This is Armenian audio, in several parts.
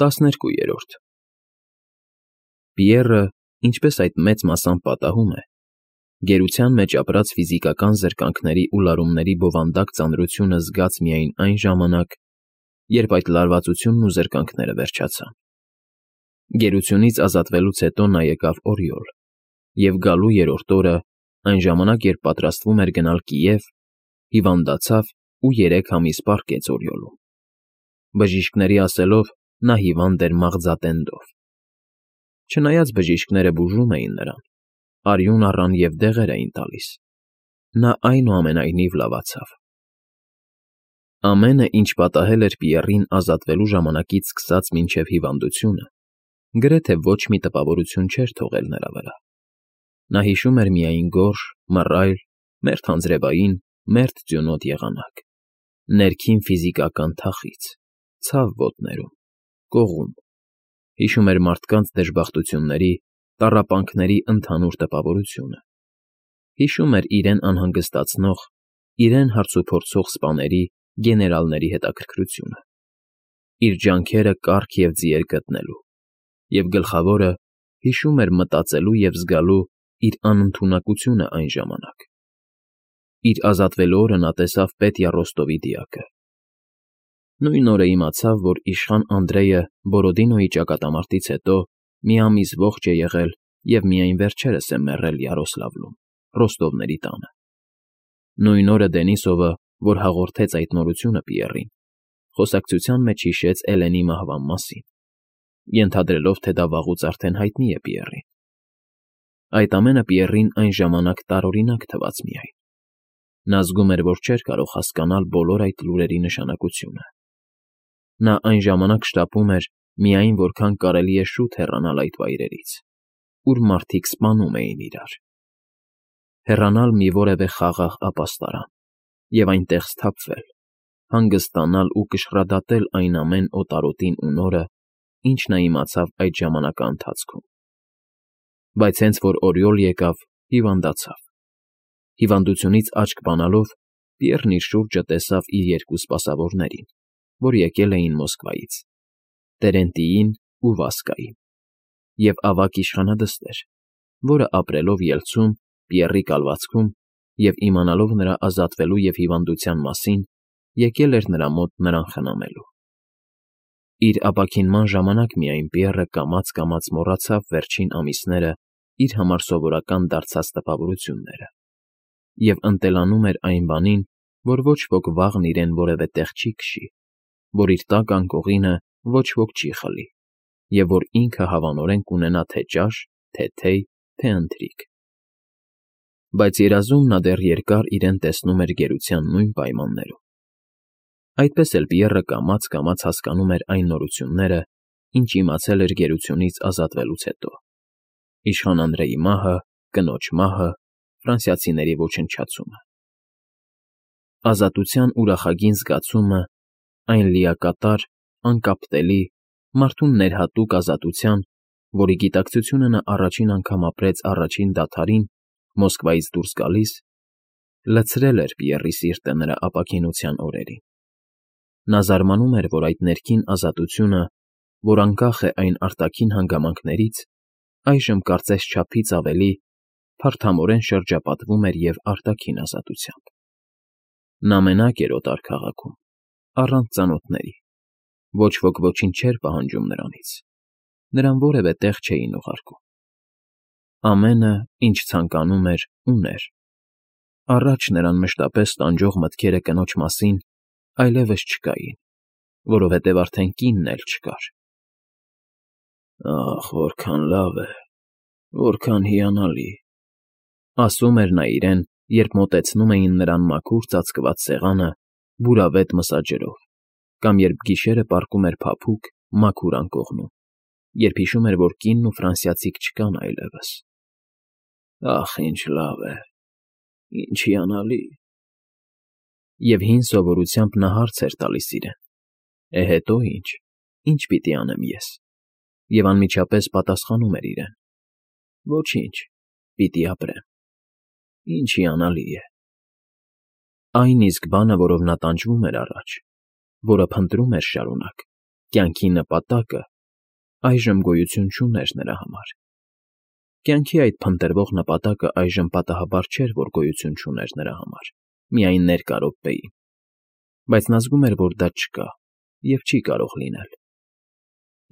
12 Պիեռը, ինչպես այդ մեծ մասամբ պատահում է, գերության մեջ ապրած ֆիզիկական զրկանքների ու լարումների բովանդակ ծանրությունը զգաց միայն այն ժամանակ, երբ այդ լարվածությունն ու զրկանքները վերջացան։ Գերությունից ազատվելուց հետո նա եկավ Օրիոլ, և գալու երրորդ օրը, այն ժամանակ, երբ պատրաստվում էր գնալ Կիև, հիվանդացավ ու 3 ամիս պառկեց Օրիոլում։ Բժիշկների ասելով, նա հիվանդ էր մաղձատենդով։ Չնայած բժիշկները բուժում էին նրան, արյուն առան և դեղեր էին տալիս, նա այնուամենայնիվ լավացավ։ Ամենը, ինչ պատահել էր Պիեռին ազատվելու ժամանակից սկսած մինչև հիվանդությունը, գրեթե ոչ մի տպավորություն չէր թողել նրա վրա։ Նա հիշում էր միայն գորշ, մռայլ, մերթ անձրևային, մերթ ձյունոտ եղանակ, ներքին ֆիզիկական թախիծ, ցավ ոտներում, կողում, հիշում էր մարդկանց դժբախտությունների, տառապանքների ընդհանուր տպավորությունը, հիշում էր իրեն անհանգստացնող, իրեն հարցուփորձող սպաների, գեներալների հետաքրքրությունը, իր ջանքերը կառք և ձիեր գտնելու, և գլխավորը, հիշում էր մտածելու և զգալու իր անընդունակությունը այն ժամանակ։ Իր ազատվելու օրը նա տեսավ Պետյա Ռոստովի դիակը։ Նույն օրը իմացավ, որ իշխան Անդրեյը Բորոդինոյի ճակատամարտից հետո մի ամիս ողջ է եղել և միայն վերջերս է մեռել Յարոսլավլում, Ռոստովների տանը։ Նույն օրը Դենիսովը, որ հաղորդեց այդ նորությունը Պիեռին, խոսակցության մեջ հիշեց Էլենի մահվան մասին, ենթադրելով, թե դա վաղուց արդեն հայտնի է Պիեռին։ Այդ ամենը Պիեռին այն ժամանակ տարօրինակ թվաց միայն։ Նա զգում էր, որ չէր կարող հասկանալ բոլոր այդ լուրերի նշանակությունը։ Նա այն ժամանակ շտապում էր միայն որքան կարելի է շուտ հեռանալ այդ վայրերից, ուր մարդիկ սպանում էին իրար։ Հեռանալ մի որևէ խաղաղ ապաստարան և այնտեղ սթափվել, հանգստանալ ու կշռադատել այն ամեն օտարոտին ու նորը, ինչ նա իմացավ այդ ժամանակի ընթացքում։ Բայց հենց որ Օրիոլ եկավ, հիվանդացավ։ Հիվանդությունից աչք բանալով, Պիեռն իր շուրջը տեսավ իր 2 սպասավորներին, որ եկել էին Մոսկվայից՝ Տերենտիին ու Վասկային, և ավագ իշխանադստեր, որը ապրելով Ելցում, Պիեռի կալվածքում և իմանալով նրա ազատվելու և հիվանդության մասին, եկել էր նրա մոտ նրան խնամելու։ Իր ապաքինման ժամանակ միայն Պիեռը կամաց֊կամաց մոռացավ վերջին ամիսները իր համար սովորական դարձած տպավորությունները և ընտելանում էր այն բանին, որ ոչ ոք վաղն իրեն որևէ տեղ չի քշի, որ իր տակ անկողինը ոչ ոք չի խլի, և որ ինքը հավանորեն կունենա թե ճաշ, թե թեյ, թե ընթրիք։ Բայց երազում նա դեռ երկար իրեն տեսնում էր գերության նույն պայմաններում։ Այդպես էլ Պիեռը կամաց֊կամաց հասկանում էր այն նորությունները, ինչ իմացել էր գերությունից ազատվելուց հետո. իշխան Անդրեյի մահը, կնոջ մահը, ֆրանսիացիների ոչնչացումը։ Ազատության ուրախագին զգացումը, այն լիակատար, անկապտելի, մարդուն ներհատուկ ազատության, որի գիտակցությունը նա առաջին անգամ ապրեց առաջին դադարին, Մոսկվայից դուրս գալիս, լցրել էր Պիեռի սիրտը նրա ապաքինության օրերին։ Նա զարմանում էր, որ այդ ներքին ազատությունը, որ անկախ է այն արտաքին հանգամանքներից, այժմ կարծես չափից ավելի փարթամորեն շրջապատվում էր և արտաքին ազատությամբ։ Նա մենակ էր օտար քաղաքում, առանց ծանոթների, ոչ ոք ոչինչ չէր պահանջում նրանից, նրան որևէ տեղ չէին ուղարկում։ Ամենը, ինչ ցանկանում էր, ուներ։ Առաջ նրան մշտապես տանջող մտքերը կնոջ մասին այլևս չկային, որովհետև արդեն կինն էլ չկար։ «Ախ, որքան լավ է, որքան հիանալի», ասում էր նա իրեն, երբ մոտեցնում էին նրան մաքուր ծածկված սեղանը բուրավետ մսաջրով, կամ երբ գիշերը պառկում էր փափուկ, մաքուր անկողնում, երբ հիշում էր, որ կինն ու ֆրանսիացիք չկան այլևս։ «Ախ, ինչ լավ է, ինչ հիանալի»։ Եվ հին սովորությամբ նա հարց էր տալիս իրեն. հետո ի՞նչ, ի՞նչ պիտի անեմ ես։ Եվ անմիջապես պատասխանում էր իրեն. ոչինչ, պիտի ապրեմ։ Ինչ հիանալի է։ Այն իսկ բանը, որով նա տանջվում էր առաջ, որը փնտրում էր շարունակ, կյանքի նպատակը այժմ գոյություն չուներ նրա համար։ Կյանքի այդ փնտրվող նպատակը այժմ պատահաբար չէր, որ գոյություն չուներ նրա համար, միայն ներկա րոպեին, բայց նա զգում էր, որ դա չկա և չի կարող լինել։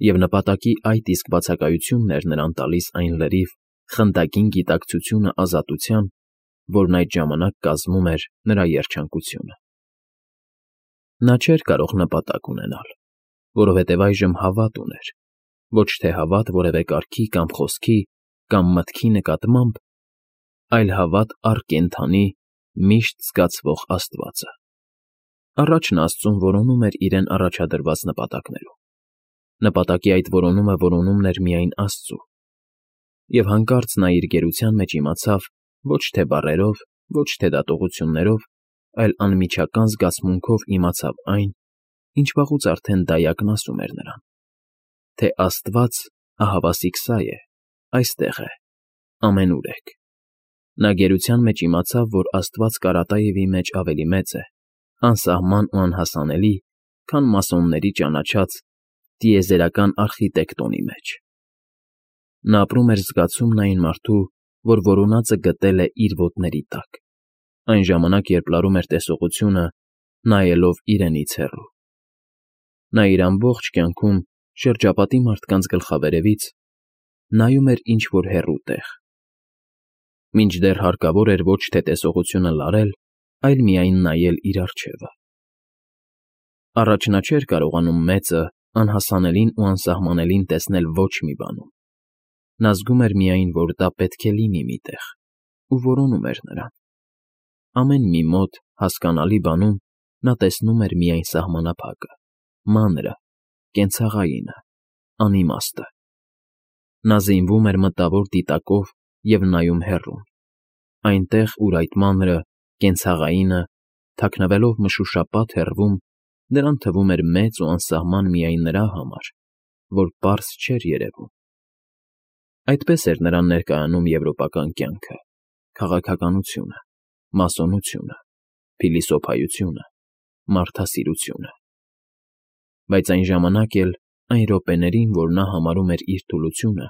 Եվ նպատակի այդ իսկ բացակայությունն էր նրան տալիս այն լրիվ, խնդակին գիտակցությունը ազատության, որն այդ ժամանակ կազմում էր նրա երջանկությունը։ Նա չէր կարող նպատակ ունենալ, որովհետև այժմ հավատ ուներ, ոչ թե հավատ որևէ կարգի կամ խոսքի կամ մտքի նկատմամբ, այլ հավատ առ կենդանի, միշտ զգացվող Աստվածը։ Առաջ նա Աստծուն որոնում էր իրեն առաջադրված նպատակներում։ Նպատակի այդ որոնումը որոնումն էր միայն Աստծու։ Եվ հանկարծ նա իր գերության մեջ իմացավ ոչ թե բառերով, ոչ թե դատողություններով, այլ անմիջական զգացմունքով իմացավ այն, ինչ վաղուց արդեն դայակն ասում էր նրան, թե Աստված, ահավասիկ սա է, այստեղ է, ամենուրեք։ Նա գերության մեջ իմացավ, որ Աստված Կարատաևի մեջ ավելի մեծ է, անսահման ու անհասանելի, քան մասոնների ճանաչած տիեզերական արխիտեկտոնի մեջ։ Նա ապրում էր զգացումն այն մարդու, որ որոնածը գտել է իր ոտների տակ, այն ժամանակ, երբ լարում էր տեսողությունը, նայելով իրենից հեռու։ Նա իր ամբողջ կյանքում շրջապատի մարդկանց գլխավերևից նայում էր ինչ-որ հեռու տեղ, մինչդեռ հարկավոր էր ոչ թե տեսողությունը լարել, այլ միայն նայել իր առջևը։ Առաջ նա չէր կարողանում մեծը, անհասանելին ու անսահմանելին տեսնել ոչ մի բանում։ Նա զգում էր միայն, որ դա պետք է լինի մի տեղ, ու որոնում էր նրան։ Ամեն մի մոտ, հասկանալի բանում նա տեսնում էր միայն սահմանափակը, մանրը, կենցաղայինը, անիմաստը։ Նա զինվում էր մտավոր դիտակով և նայում հեռուն, այնտեղ, ուր այդ մանրը, կենցաղայինը, թաքնվելով մշուշապատ հեռվում, նրան թվում էր մեծ ու անսահման միայն նրա համար, որ պարզ չէր երևում։ Այդպես էր նրան ներկայանում եվրոպական կյանքը, քաղաքականությունը, մասոնությունը, փիլիսոփայությունը, մարդասիրությունը։ Բայց այն ժամանակ էլ, այն րոպեներին, որ նա համարում էր իր թուլությունը,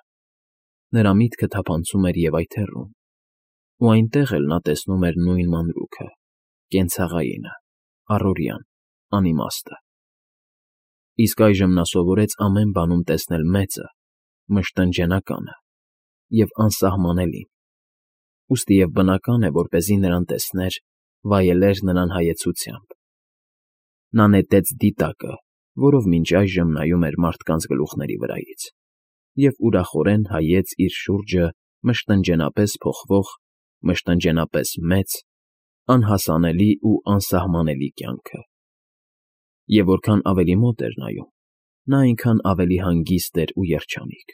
նրա միտքը թափանցում էր և այդ հեռուն, ու այնտեղ էլ նա տեսնում էր նույն մանրուքը, կենցաղայինը, առօրյան, անիմաստը։ Իսկ այժմ նա սովորեց ամեն բանում տեսնել մեծը, մշտնջենականը և անսահմանելին, ուստի և բնական է, որպեսզի նրան տեսներ, վայելեր նրան հայեցությամբ։ Նա նետեց դիտակը, որով մինչ այժմ նայում էր մարդկանց գլուխների վրայից, և ուրախորեն հայեց իր շուրջը մշտնջենապես փոխվող, մշտնջենապես մեծ, անհասանելի ու անսահմանելի կյանքը։ Եվ որքան ավելի մոտ էր նայում, նա այնքան ավելի հանգիստ էր ու երջանիկ։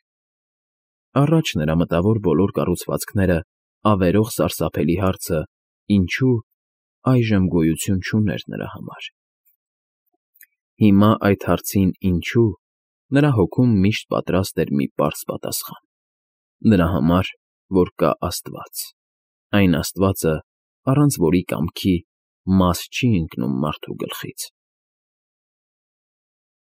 Առաջ նրա մտավոր բոլոր կառուցվածքները ավերող սարսափելի հարցը «Ինչո՞ւ» այժմ գոյություն չուներ նրա համար։ Հիմա այդ հարցին «Ինչո՞ւ» նրա հոգում միշտ պատրաստ էր մի պարզ պատասխան. նրա համար, որ կա Աստված, այն Աստվածը, առանց որի կամքի մաս չի ընկնում մարդու գլխից։